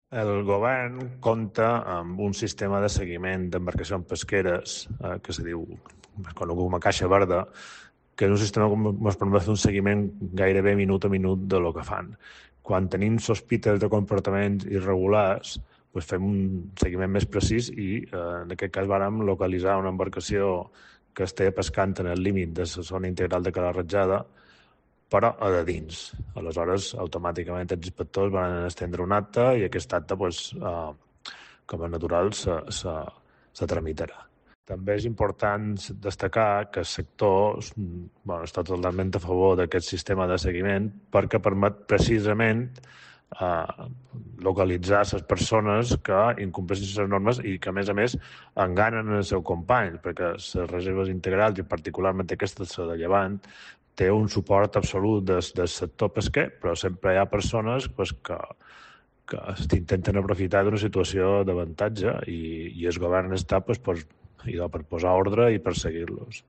El govern compta amb un sistema de seguiment d'embarcacions pesqueres que se diu, conegut com a Caixa Verda, que és un sistema que ens permet fer un seguiment gairebé minut a minut de lo que fan. Quan tenim sospites de comportaments irregulars, doncs fem un seguiment més precís i en aquest cas vàrem localitzar una embarcació que estigui pescant en el límit de la zona integral de Cala Ratjada, però a de dins. Aleshores, automàticament els inspectors van estendre un acte i aquest acte, com a natural, se tramitarà. També és important destacar que el sector està totalment a favor d'aquest sistema de seguiment perquè permet precisament localitzar les persones que incompleixen les normes i que, a més, enganen el seu company, perquè les reserves integrals, i particularment aquesta de Llevant, té un suport absolut del sector pesquer, però sempre hi ha persones que intenten aprofitar d'una situació d'avantatge i el govern està per posar ordre i perseguir-los.